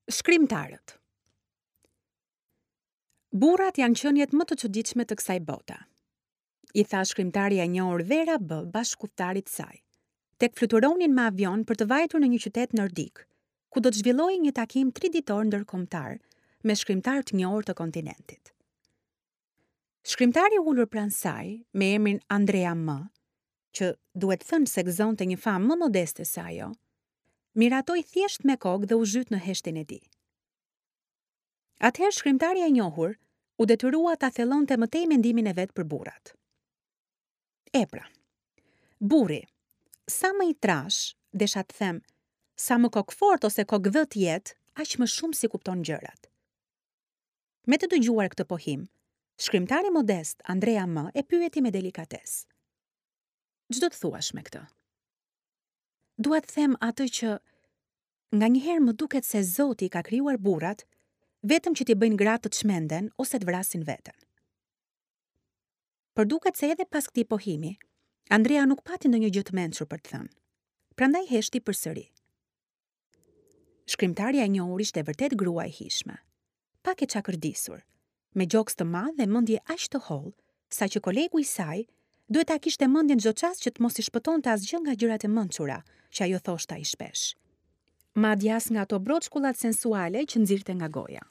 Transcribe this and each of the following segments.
Shkrimtarët. Burrat janë qeniet më të çuditshme të kësaj bote. I tha shkrimtarja e njohur Vera B bashkudhëtarit të saj, tek fluturonin me avion për të vajtur në një qytet nordik, ku do të zhvillohej një takim triditor ndërkombëtar me shkrimtarë të njohur të kontinentit. Shkrimtari i ulur pranë saj, me emrin Andrea M, që duhet thënë se gëzonte një famë më modeste se ajo, miratoi thjesht me kokë dhe u zhyt në heshtjen e tij. Atëherë shkrimtarja e njohur u detyrua ta thellonte më tej mendimin e vet për burrat. E pra, burri, sa më i trashë, desha të them, sa më kokëfortë ose kokëdhë të jetë, aq më shumë s'i kupton gjërat. Me të dëgjuar këtë pohim, shkrimtari modest Andrea M e pyeti me delikatesë. Ç'do të thuash me këtë? Dua të them atë që nganjëherë më duket se Zoti i ka krijuar burrat vetëm që t'i bëjnë gratë të çmenden ose të vrasin veten. Por duket se edhe pas këtij pohimi, Andrea nuk pati ndonjë gjë të mençur për të thënë. Prandaj heshti përsëri. Shkrimtarja e njohur ishte vërtet grua e hijshme. Pak e çakërdisur, me gjoks të madh dhe mendje aq të hollë, saqë kolegu i saj duhet ta kishte mendjen çdo çast që të mos i shpëtonte asgjë nga gjërat e mençura që ajo thoshte aq shpesh. Madje as nga ato broçkullat sensuale që nxirrte nga goja.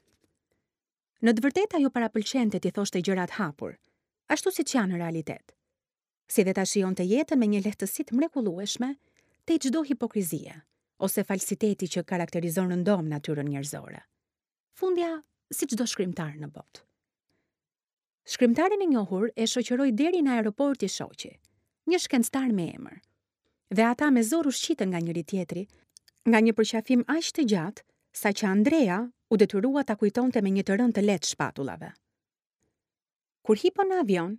Në të vërtetë ajo parapëlqente t'i thoshte gjërat hapur, ashtu siç janë në realitet. si dhe ta shijonte jetën me një lehtësi të mrekullueshme tej çdo hipokrizie ose falsiteti që karakterizon rëndom natyrën njerëzore. Fundja, si çdo shkrimtar në botë. Shkrimtaren e njohur e shoqëroi deri në aeroport i shoqi, një shkencëtar me emër. Dhe ata me zor u shqitën nga njëri-tjetri, nga një përqafim aq të gjatë, saqë Andrea u detyrua ta kujtonte me një të rënë të lehtë shpatullave. Kur hipën në avion,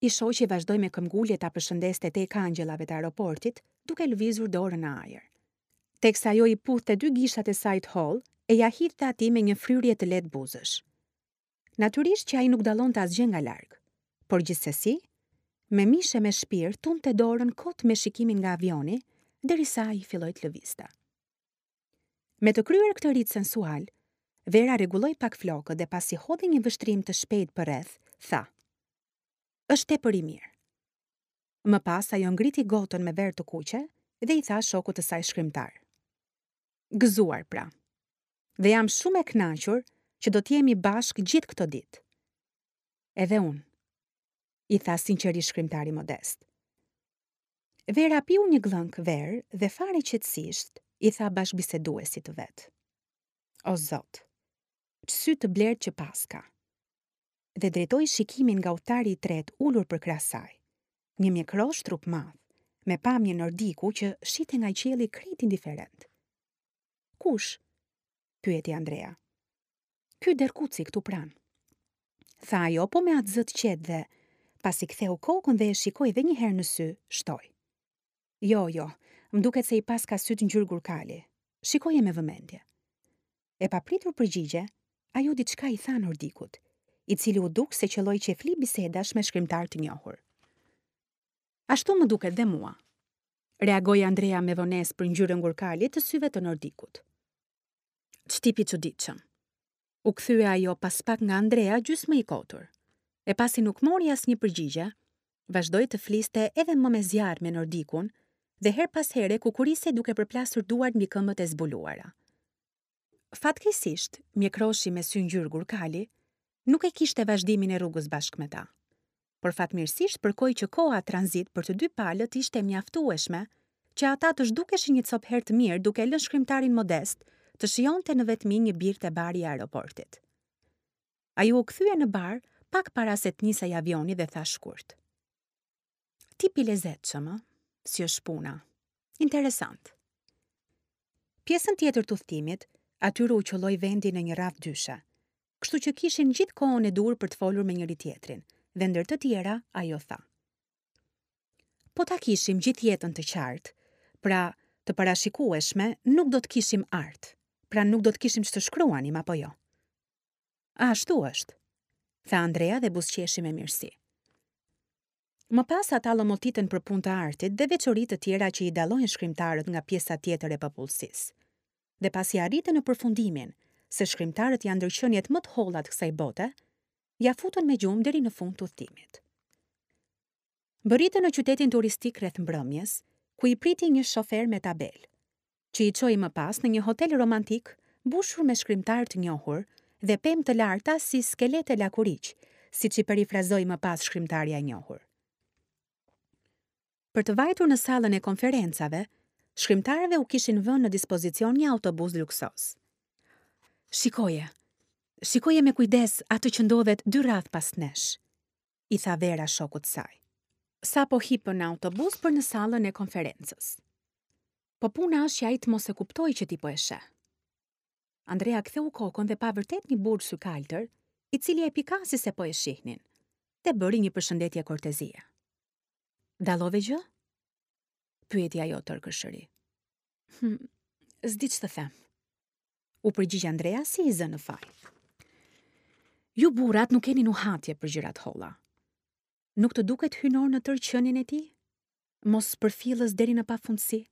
i shoqi vazhdoi me këmbgulje ta përshëndeste tej kangjellave të aeroportit, duke lëvizur dorën në ajër. Teksa ajo i puthte dy gishtat e saj të hollë e ia hidhte atij me një fryrje të lehtë buzësh. Natyrisht që ai nuk dallonte asgjë nga larg, por gjithsesi, me mish e me shpirt tundte dorën kot me shikimin nga avioni, derisa ai filloi të lëvizte. Me të kryer këtë rit sensual, Vera rregulloi pak flokët dhe pasi hodhi një vështrim të shpejtë përreth, tha: Është tepër i mirë. Më pas ajo ngriti gotën me verë të kuqe dhe i tha shokut të saj shkrimtar: Gëzuar pra. Dhe jam shumë e kënaqur që do të jemi bashkë gjithë këto ditë. Edhe unë, i tha sinqerisht shkrimtari modest. Vera piu një gllënkë verë dhe fare qetësisht i tha bashkëbiseduesit të vet. O Zot, ç'sy të blertë që paska! Dhe drejtoi shikimin nga udhëtari i tretë ulur përkrah saj, një mjekrosh trupmadh, me pamje nordiku që shihte nga qielli krejt indiferent. Kush? pyeti Andrea. Ky derrkuci këtu pranë. Tha ajo po me atë zë të qetë dhe, pasi ktheu kokën dhe e shikoi dhe një herë në sy, shtoi. Jo, jo, më duket se i paska sytë ngjyrë gurkali. Shikoje me vëmendje. E pa pritur përgjigje, ajo diçka i tha nordikut, i cili u duk se qëlloi qejfli bisedash me shkrimtarë të njohur. Ashtu më duket dhe mua, reagoi Andrea me vonesë për ngjyrën gurkali të syve të nordikut. Ç'tip i çuditshëm. U kthye ajo pas pak nga Andrea gjysmë i kotur. E pasi nuk mori asnjë përgjigje, vazhdoi të fliste edhe më me zjarr me nordikun dhe herë pas here kukurisej duke përplasur duart mbi këmbët e zbuluara. Fatkeqësisht, mjekroshi me sy ngjyrë gurkali nuk e kishte vazhdimin e rrugës bashkë me ta. Por fatmirësisht përkoi që koha tranzit për të dy palët ishte e mjaftueshme që ata të zhdukeshin një copë herë të mirë duke e lënë shkrimtarin modest të shijonte në vetmi një birrë te bari i aeroportit. Ai u kthye në bar pak para se të nisej avioni dhe tha shkurt. Tip i lezetshëm, ë? Si është puna? Interesant. Pjesën tjetër të udhëtimit, atyre u qëlloi vendi në një radhë dyshe, kështu që kishin gjithë kohën e duhur për të folur me njëri-tjetrin, dhe ndër të tjera ajo tha. Po ta kishim gjithë jetën të qartë, pra të parashikueshme, nuk do të kishim art, pra nuk do të kishim ç'të shkruanim apo jo. Ashtu është, tha Andrea dhe buzëqeshi me mirësi. Më pas ata llomotitën për punë të artit dhe veçori të tjera që i dallojnë shkrimtarët nga pjesa tjetër e popullsisë. Dhe pasi arritën në përfundimin se shkrimtarët janë ndër qeniet më të holla të kësaj bote, ia futën me gjumë deri në fund të udhëtimit. Mbërritën në qytetin turistik rreth mbrëmjes, ku i priti një shofer me tabelë, që i çoi më pas në një hotel romantik mbushur me shkrimtarë të njohur dhe pemë të larta si skelete lakuriq, siç i perifrazoi më pas shkrimtarja e njohur. Për të vajtur në sallën e konferencave, shkrimtarëve u kishin vënë në dispozicion një autobus luksoz. Shikoje, shikoje me kujdes atë që ndodhet dy radhë pas nesh, i tha Vera shokut të saj. Sapo hipën në autobus për në sallën e konferencës. Po puna është që ai të mos e kuptojë që ti po e sheh. Andrea ktheu kokën dhe pa vërtet një burrë sykaltër, i cili e pikasi se po e shihnin, dhe bëri një përshëndetje kortezie. Dallove gjë? Pyeti ajo tërë kërshëri. Hm, s'di ç'të them. U përgjigj Andrea si i zënë në faj. Ju burrat nuk keni nuhatje për gjëra të holla. Nuk të duket hyjnor në tërë qenien e tij? Mospërfillës deri në pafundësi?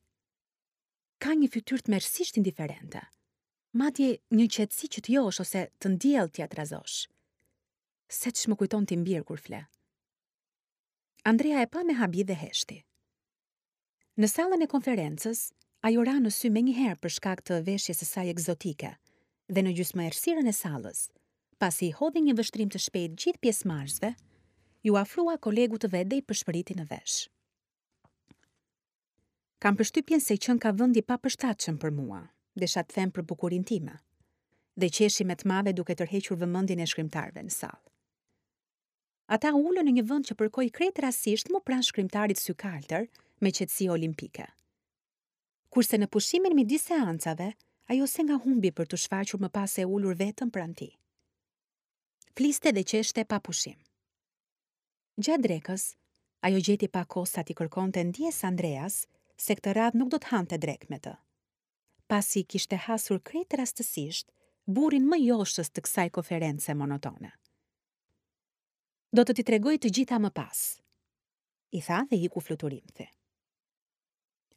Ka një fytyrë tmerrësisht indiferente. Madje një qetësi që të josh ose të ndjell t'ia trazosh. Seç më kujton tim bir kur fle. Andrea e pa me habi dhe heshti. Në sallën e konferencës, ajo ra në sy menjëherë për shkak të veshjes së saj ekzotike dhe në gjysmëerrësirën e sallës, pasi i hodhi një vështrim të shpejtë gjithë pjesëmarrësve, iu afrua kolegut të vet dhe i pëshpëriti në vesh. Kam përshtypjen se qenka vend i papërshtatshëm për mua, desha të them për bukurinë time, dhe qeshi me të madhe duke tërhequr vëmendjen e shkrimtarëve në sallë. Ata u ulën në një vend që përkoi krejt rastësisht mu pranë shkrimtarit sykaltër me qetësi olimpike. Kurse në pushimin midis seancave, ajo se nga humbi për t'u shfaqur më pas e ulur vetëm pranë tij. Fliste dhe qeshte pa pushim. Gjatë drekës, ajo gjeti pak kohë sa t'i kërkonte ndjesë Andreas se këtë radhë nuk do të hante drekë me të. Pasi kishte hasur krejt rastësisht burrin më joshës të kësaj konference monotone. Do të t'i tregoj të gjitha më pas, i tha dhe iku fluturimthi.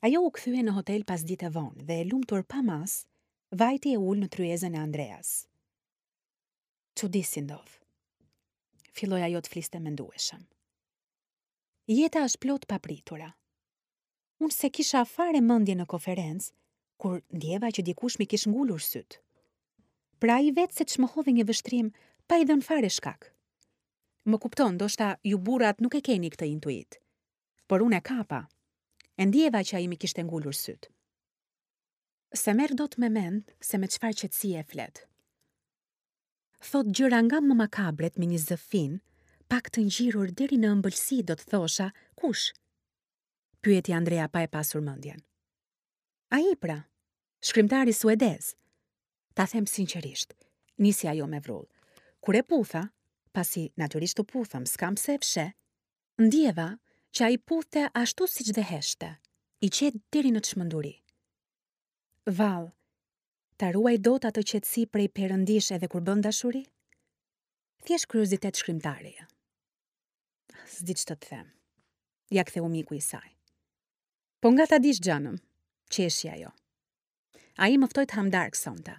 Ajo u kthye në hotel pasdite vonë dhe e lumtur pa masë, vajti e u ul në tryezën e Andreas. Çudi si ndodh. Filloi ajo të fliste mendueshëm. Jeta është plot papritura. Unë s'e kisha fare mendjen në konferencë, kur ndjeva që dikush m'i kish ngulur sytë. Pra ai vetë seç më hodhi një vështrim pa i dhënë fare shkak. Më kupton, ndoshta ju burrat nuk e keni këtë intuitë. Por unë e kapa. E ndjeva që ai m'i kishte ngulur sytë. S'e merr dot me mend se me çfarë qetësie flet. Thotë gjëra nga më makabret me një zë fin, pak të ngjirur deri në ëmbëlsi do të thosha, kush? pyeti Andrea pa e pasur mendjen. Ai pra, shkrimtari suedez. Ta them sinqerisht, nisi ajo me vrull. Kur e putha, pasi natyrisht u puthëm, s'kam pse e fsheh, ndjeva që ai puthte ashtu siç dhe heshtte, i qetë deri në çmenduri. Vallë, ta ruaj dot atë qetësi prej perëndish edhe kur bën dashuri? Thjesht kuriozitet shkrimtareje. S'di ç'të të them. Ia ktheu miku i saj. Po nga ta dish xhanëm, qeshi ajo. Ai më ftoi të hamë darkë sonte.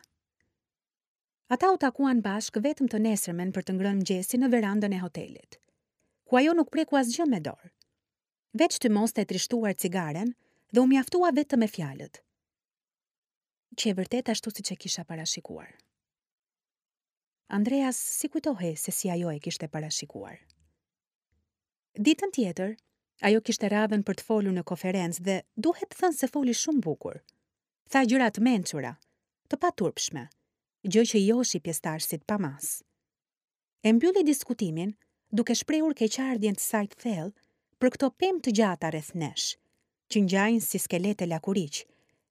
Ata u takuan bashkë vetëm të nesërmen për të ngrënë mëngjesin në verandën e hotelit, ku ajo nuk preku asgjë me dorë. Veç tymoste e trishtuar cigaren dhe u mjaftua vetëm me fjalët. Qe vërtet ashtu siç e kisha parashikuar. Andreas s'i kujtohej se si ajo e kishte parashikuar. Ditën tjetër, ajo kishte radhën për të folur në konferencë dhe duhet thënë se foli shumë bukur. Tha gjëra të mençura, të paturpshme, gjë që i joshi pjesëtarësit pa masë. E mbylli diskutimin duke shprehur keqardhjen të saj të thellë për këto pemë të gjata rreth nesh, që ngjajnë si skelete lakuriq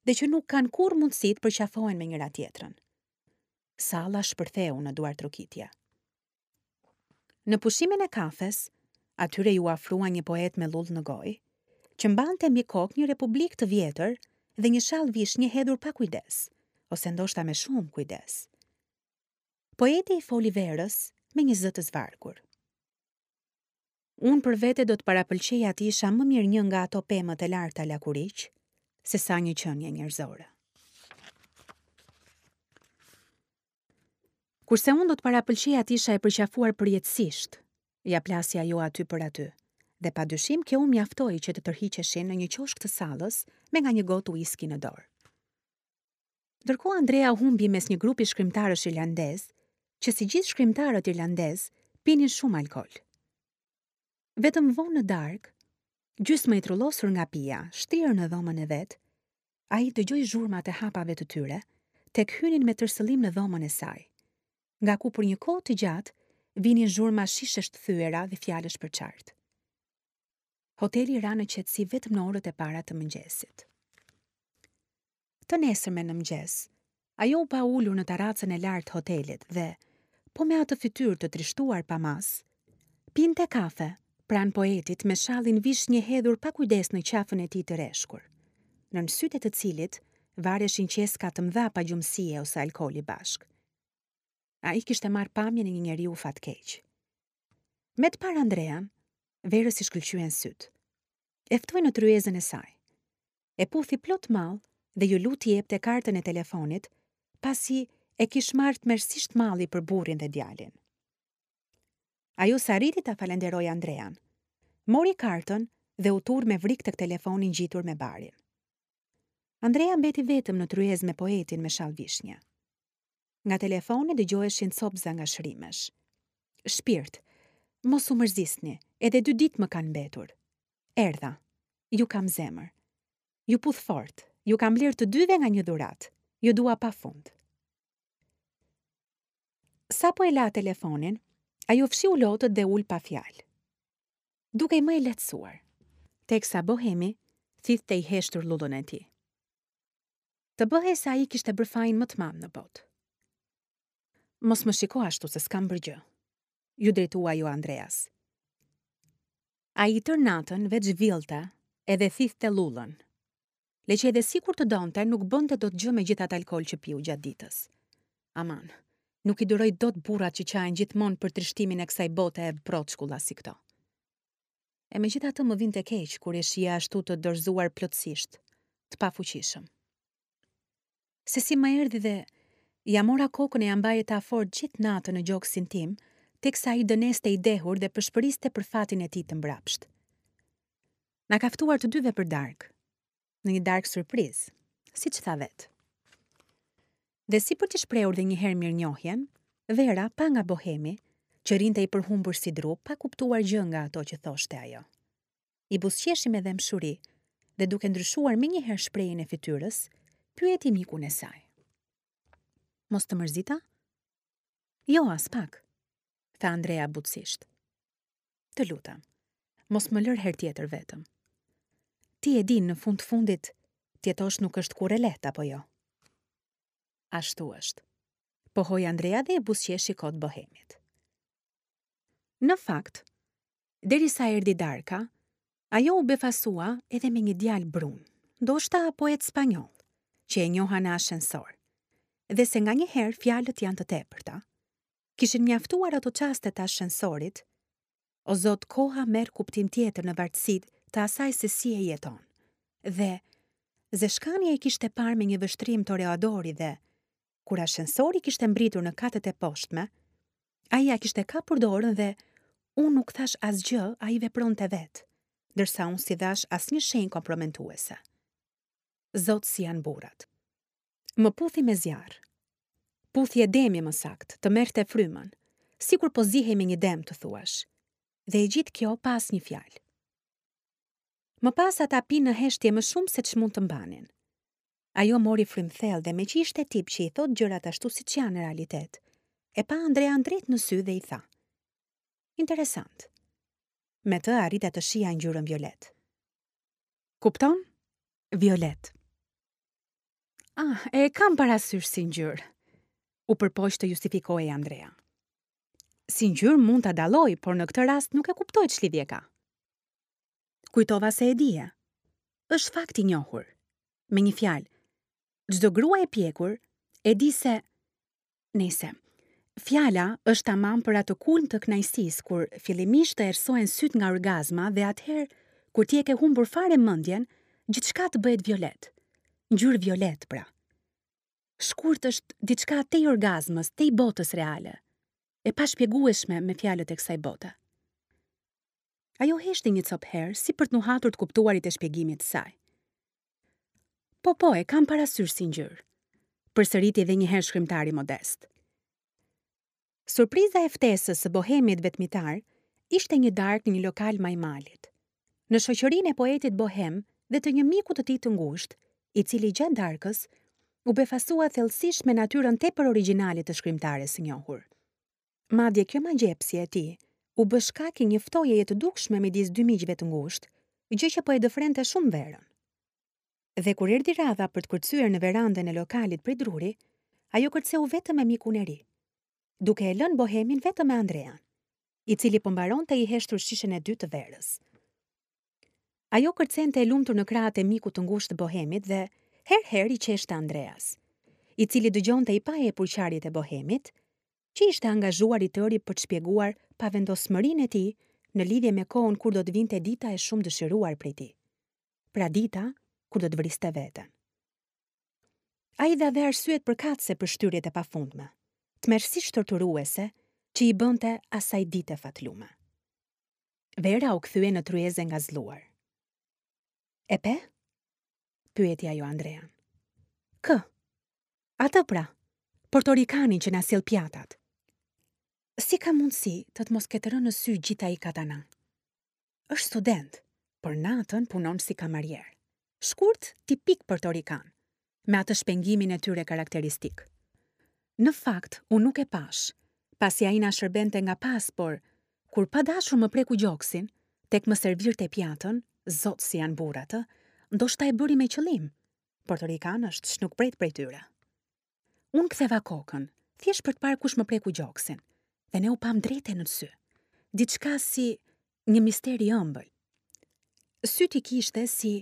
dhe që nuk kanë kurrë mundësi të përqafohen me njëra-tjetrën. Salla shpërtheu në duartrokitje. Në pushimin e kafes, atyre iu afrua një poet me llullë në gojë, që mbante mbi kokë një republikë të vjetër dhe një shall vishnje hedhur pa kujdes, ose ndoshta me shumë kujdes. Poeti i foli Verës me një zë të zvargur. Unë për vete do të parapëlqeja të isha më mirë një nga ato pemët e larta lakuriq, sesa një qenie njerëzore. Kurse unë do të parapëlqeja të isha e përqafuar përjetësisht, ia plasi ajo aty për aty, dhe pa dyshim kjo u mjaftoi që të tërhiqeshin në një qoshk të sallës me nga një gotë uiski në dorë. Ndërkohë Andrea humbi mes një grupi shkrimtarësh irlandezë, që si gjithë shkrimtarët irlandezë, pinin shumë alkool. Vetëm vonë në darkë, gjysmë i trullosur nga pija, shtrirë në dhomën e vet, ai dëgjoi zhurmat e hapave të tyre, tek hynin me tërsëllim në dhomën e saj, nga ku për një kohë të gjatë vinin zhurma shishesh të thyera dhe fjalësh përçart. Hoteli ra në qetësi vetëm në orët e para të mëngjesit. Të nesërmen në mëngjes, ajo u pa ulur në tarracën e lartë të hotelit dhe, po me atë fytyrë të trishtuar pa masë, pinte kafe pranë poetit me shallin vishnje hedhur pa kujdes në qafën e tij të rreshkur, nën sytë e të cilit vareshin qeska të mëdha pagjumësie ose alkooli bashkë. Ai kishte marrë pamjen e një njeriu fatkeq. Me të parë Andrean, Verës i shkëlqyen sytë. E ftoi në tryezën e saj. E puthi plot mall dhe iu lut t'i jepte kartën e telefonit, pasi e kish marrë tmerrësisht malli për burrin dhe djalin. Ajo s'arriti ta falenderojë Andrean. Mori kartën dhe u turr me vrik tek telefoni ngjitur me barin. Andrea mbeti vetëm në tryezë me poetin me shall vishnje. Nga telefoni dëgjoheshin copëza ngashërimesh. Shpirt, mos u mërzisni, edhe dy ditë më kanë mbetur. Erdha. Ju kam zemër. Ju puth fort. Ju kam blerë të dyve nga një dhuratë. Ju dua pa fund. Sapo e la telefonin, ajo fshiu lotët dhe u ul pa fjalë. Dukej më e lehtësuar, teksa bohemi thithte i heshtur llullën e tij. Të bëhej se ai kishte bërë fajin më të madh në botë. Mos më shiko ashtu se s'kam bërë gjë, iu drejtua ajo Andreas. Ai tërë natën veç villte edhe thithte llullën. Le që edhe sikur të donte, nuk bënte dot gjë me gjithë atë alkool që piu gjatë ditës. Aman, nuk i duroj dot burrat që qahen gjithmonë për trishtimin e kësaj bote e broçkulla si këto. E megjithatë më vinte keq kur e shihja ashtu të dorëzuar plotësisht, të pafuqishëm. Se si më erdhi dhe ia mora kokën e ia mbajta fort gjithë natën në gjoksin tim, teksa ai dëneste i dehur dhe pëshpëriste për fatin e tij të mbrapshtë. Na ka ftuar të dyve për darkë, në një darkë surprizë, siç tha vetë. Dhe si për t'i shprehur dhe një herë mirënjohjen, Vera pa nga bohemi, që rrinte i përhumbur si dru, pa kuptuar gjë nga ato që thoshte ajo. I buzëqeshi me dhembshuri dhe duke ndryshuar menjëherë shprehjen e fytyrës, pyeti mikun e saj. Mos të mërzita? Jo, aspak, tha Andrea butësisht. Të lutem, mos më lër herë tjetër vetëm. Ti e di në fund të fundit, të jetosh nuk është kurrë e lehtë apo jo? Ashtu është. Pohoi Andrea dhe i buzëqeshi kot bohemit. Në fakt, derisa erdhi darka, ajo u befasua edhe me një djalë brun, ndoshta poet spanjoll, që e njoha në ashensor, dhe se nganjëherë fjalët janë të tepërta, Kishin mjaftuar ato çaste të ashensorit, o Zot koha merr kuptim tjetër në vartësi të asaj se si e jeton. Dhe, Zeshkani e kishte parë me një vështrim toreadori dhe, kur ashensori kishte mbërritur në katet e poshtme, ai ia kishte kapur dorën dhe unë nuk thashë asgjë, ai vepronte vetë, ndërsa unë s'i dhashë asnjë shenjë kompromentuese. Zot si janë burrat. Më puthi me zjarr. Puthje demi më saktë, të merrte frymën, sikur po zihej me një dem të thuash. Dhe e gjithë kjo pa asnjë fjalë. Më pas ata pinë në heshtje më shumë se ç'mund të mbanin. Ajo mori frymë thellë dhe meqë ishte tip që i thotë gjërat ashtu siç janë në realitet, e pa Andrean drejt në sy dhe i tha. Interesant. Me të arrita të shihja ngjyrën violet. Kupton? Violet. Ah, e kam parasysh si ngjyrë. U përpoq të justifikohej Andrea. Si ngjyrë mund ta dalloj, por në këtë rast nuk e kuptoj ç'lidhje ka. Kujtova se e dije. Është fakt i njohur. Me një fjalë, çdo grua e pjekur e di se Nejse, fjala është tamam për atë kulm të kënaqësisë kur fillimisht të errësohen sytë nga orgazma dhe atëherë kur ti e ke humbur fare mendjen, gjithçka të bëhet violet. Ngjyrë violet, pra. Shkurt është diçka tej orgazmës, tej botës reale, e pashpjegueshme me fjalët e kësaj bote. Ajo heshti një copë herë, si për të nuhatur të kuptuarit e shpjegimit të saj. Po, po, e kam parasysh si ngjyrë, përsëriti edhe një herë shkrimtari modest. Surpriza e ftesës së bohemit vetmitar ishte një darkë në një lokal majë malit, në shoqërinë e poetit bohem dhe të një miku të tij të ngushtë, i cili gjatë darkës u befasua thellësisht me natyrën tepër origjinale të shkrimtares së njohur. Madje kjo magjepsje e tij u bë shkak i një ftohjeje të dukshme midis dy miqve të ngushtë, gjë që po e dëfrente shumë Verën. Dhe kur erdhi radha për të kërcyer në verandën e lokalit prej druri, ajo kërceu vetëm me mikun e ri, duke e lënë bohemin vetëm me Andrean, i cili po mbaronte i heshtur shishen e dytë të verës. Ajo kërcente e lumtur në krahët e mikut të ngushtë të bohemit dhe herë-herë i qeshte Andreas, i cili dëgjonte i paepur qarjet e bohemit, që ishte angazhuar i tëri për të shpjeguar pavendosmërinë e tij në lidhje me kohën kur do të vinte dita e shumëdëshiruar prej tij. pra dita kur do të vriste veten. Ai dha dhe arsyet përkatëse për shtyrjet e pafundme, tmerrësisht torturuese që i bënte asaj dite fatlume. Vera u kthye në tryezë e ngazëlluar. E pe? pyeti ajo Andrean. Kë? Atë pra, portorikanin që na sjell pjatat. Si ka mundësi të të mos ketë rënë në sy gjithë ai katana? Është student, por natën punon si kamarier. Shkurt, tipik portorikan, me atë shpengimin e tyre karakteristik. Në fakt, unë nuk e pashë, pasi ai na shërbente nga pas, por kur pa dashur më preku gjoksin, tek më servirte pjatën, zot si janë burrat, ë, ndoshta e bëri me qëllim. Portorikan është, ç'nuk pret prej tyre. Unë ktheva kokën, thjesht për të parë kush më preku gjoksin, dhe ne u pamë drejt e në sy. Diçka si një mister i ëmbël. Sytë i kishte si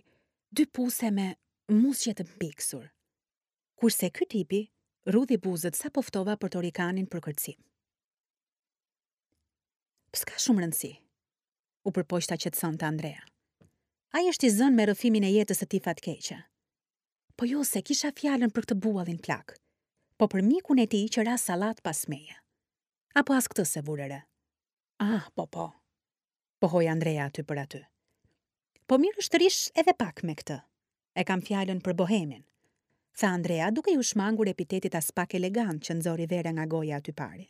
dy puse me musqe të mpiksur. Kurse ky tipi rrudhi buzët sapo ftova portorikanin për kërcim. S'ka shumë rëndësi, u përpoq ta qetësonte Andrea. Ai është i zënë me rrëfimin e jetës së tij fatkeqe. Po jo s'e kisha fjalën për këtë buallin plak, po për mikun e tij që ra sallatë pas meje. Apo as këtë s'e vure re. Ah, po po. Pohoi Andrea aty për aty. Po mirë është të rrish edhe pak me këtë. E kam fjalën për bohemin. Tha Andrea duke iu shmangur epitetit aspak elegant që nxori Vera nga goja aty pari.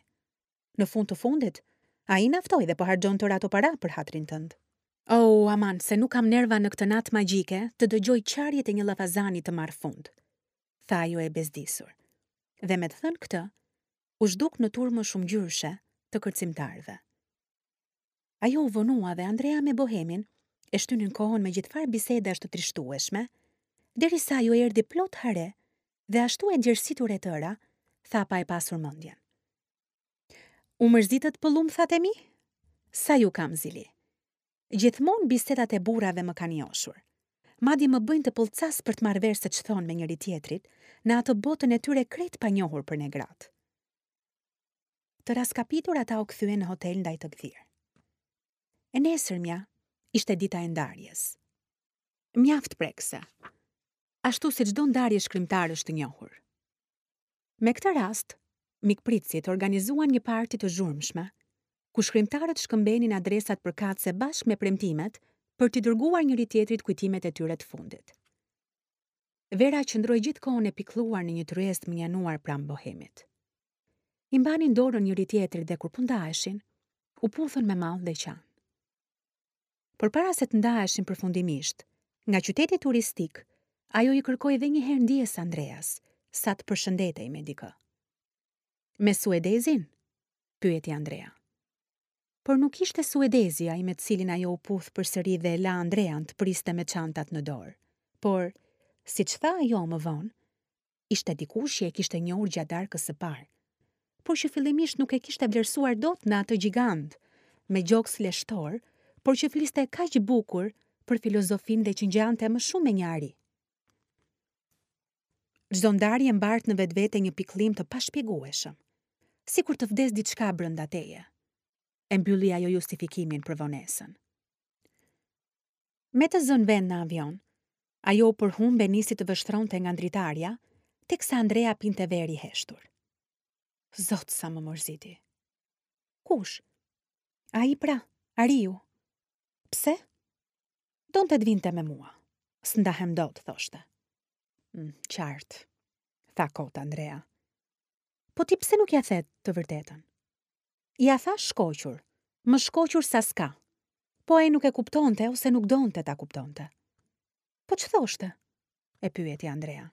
Në fund të fundit, ai na ftoi dhe po harxhon tërë ato para për hatrin tënd. Oh, aman, se nuk kam nerva në këtë natë magjike të dëgjoj qarjet e një llafazani të marrë fund, tha ajo e bezdisur. Dhe me të thënë këtë, u zhduk në turmën shumëngjyrëshe të kërcimtarëve. Ajo u vonua dhe Andrea me Bohemin e shtynin kohën me gjithfarë bisedash të trishtueshme, derisa ajo erdhi plot hare dhe ashtu e djersitur e tëra, tha pa e pasur mendjen. U mërzitët pëllumbthat e mi? Sa ju kam zili. Gjithmonë bisedat e burrave më kanë joshur. Madje më bëjnë të pëllcas për të marrë vesh se ç'thonë me njëri-tjetrit në atë botën e tyre krejt të panjohur për ne gratë. Të rraskapitur ata u kthyen në hotel ndaj të gdhirë. E nesërmja ishte dita e ndarjes. Mjaft prekëse. Ashtu si çdo ndarje shkrimtarësh të njohur. Me këtë rast, mikpritësit organizuan një parti të zhurmshme, ku shkrimtarët shkëmbenin adresat përkatëse bashkë me premtimet për t'i dërguar njëri-tjetrit kujtimet e tyre të fundit. Vera qëndroi gjithë kohën e pikëlluar në një tryezë të mënjanuar pranë bohemit. I mbanin dorën njëri-tjetrit dhe kur po ndaheshin, u puthën me mall dhe qanë. Por para se të ndaheshin përfundimisht, nga qyteti turistik, ajo i kërkoi dhe një herë ndjesë Andreas, sa të përshëndetej me dikë. Me suedezin? pyeti Andrea. Por nuk ishte suedezi ai me të cilin ajo u puth përsëri dhe e la Andrean të priste me çantat në dorë, por, siç tha ajo më vonë, Ishte dikush që e kishte njohur gjatë darkës së parë, por që fillimisht nuk e kishte vlerësuar dot në atë gjigant me gjoks leshtor, por që fliste kaq bukur për filozofinë dhe që ngjante më shumë me një ari. Çdo ndarje mbart në vetvete një pikëllim të pashpjegueshëm, sikur të vdesë diçka brenda teje. E mbylli ajo justifikimin për vonesën. Me të zënë vend në avion, ajo u përhumb e nisi të vështronte nga dritarja, teksa Andrea pinte verë i heshtur. Zot sa më mërziti. Kush? Ai pra, Ariu. Pse? Donte të vinte me mua. S'ndahem dot, thoshte. Mm, qartë, tha kot Andrea. Po ti pse nuk ia the të vërtetën? Ia thashë shkoqur, më shkoqur sa s'ka. Po ai nuk e kuptonte ose nuk donte ta kuptonte. Po ç'thoshte? E pyeti Andrea.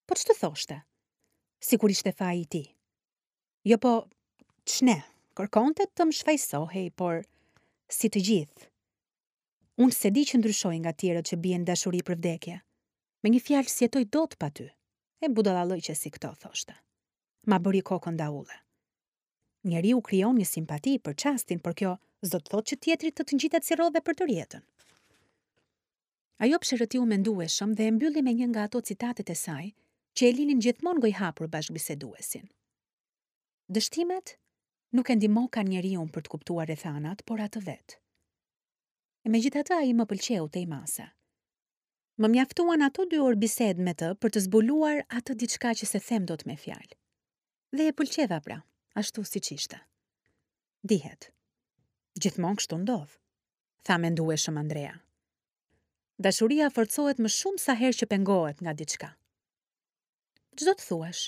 Po ç'të thoshte? Sikur ishte faji i tij. Jo po, ç'ne, kërkonte të më shfajësohej, por si të gjithë. Unë s'e di që ndryshoj nga tjerët që bien në dashuri për vdekje. Me një fjalë s'jetoj dot pa ty. E budallallëqe si këto, thoshte. Ma bëri kokën daulle. Njeriu krijon një simpati për çastin, por kjo s'do të thotë që tjetri të të ngjitet si rrodhe për tërë jetën. Ajo psherëtiu mendueshëm dhe e mbylli me një nga ato citatet e saj që e linin gjithmonë gojëhapur bashkëbiseduesin. Dështimet nuk e ndihmokan njeriun për të kuptuar rrethanat, por atë vetë. E megjithatë ai më pëlqeu tej mase. Më mjaftuan ato dy orë bisedë me të për të zbuluar atë diçka që s'e them dot me fjalë. Dhe e pëlqeva pra, ashtu siç ishte. Dihet. Gjithmonë kështu ndodh, tha mendueshëm Andrea. Dashuria forcohet më shumë sa herë që pengohet nga diçka. Ç'do të thuash?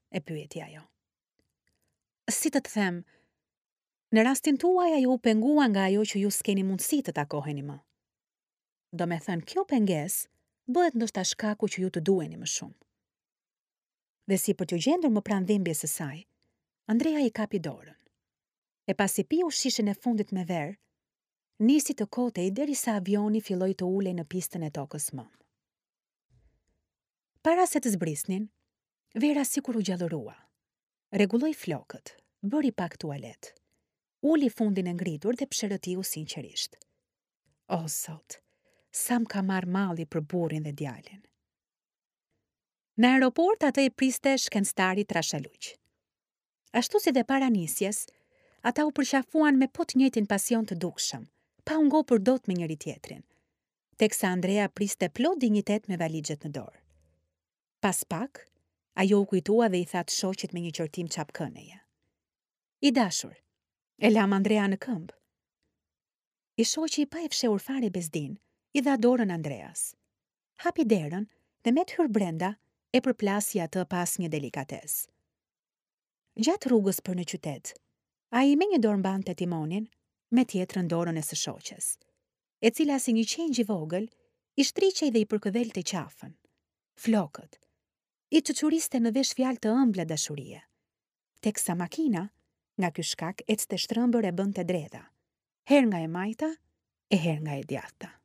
e pyeti ajo. Si të të them, në rastin tuaj ajo u pengua nga ajo që ju s'keni mundësi të takoheni më. Domethënë, kjo pengesë bëhet ndoshta shkaku që ju të duheni më shumë. Dhe si për t'iu gjendur më pranë dhimbjes së saj, Andrea i kapi dorën. E pasi piu shishen e fundit me verë, nisi të kotej derisa avioni filloi të ulej në pistën e tokës mëmë. Para se të zbrisnin, Vera sikur u gjallërua. Rregulloi flokët, bëri pak tualet. Uli fundin e ngritur dhe psherëtiu sinqerisht. O Zot, sa më ka marrë malli për burrin dhe djalin. Në aeroport atë e priste shkencëtari trashaluq. Ashtu si dhe para nisjes, ata u përqafuan me po të njëjtin pasion të dukshëm, pa u ngopur dot me njëri-tjetrin, teksa Andrea priste plot dinjitet me valixhet në dorë. Pas pak, ajo u kujtua dhe i tha të shoqit me një qortim çapkëneje. I dashur, e lamë Andrean në këmbë. I shoqi pa e fshehur fare bezdinë, i dha dorën Andreas. Hapi derën dhe me të hyrë brenda e përplasi atë pa asnjë delikatesë. Gjatë rrugës për në qytet, ai me një dorë mbante timonin, me tjetrën dorën e së shoqes, e cila si një qengj i vogël i shtriqej dhe i përkëdhelte qafën, flokët, i çuçuriste në vesh fjalë të ëmbla dashurie, teksa makina, nga ky shkak ecte shtrembër e bënte dredha, herë nga e majta e herë nga e djathta.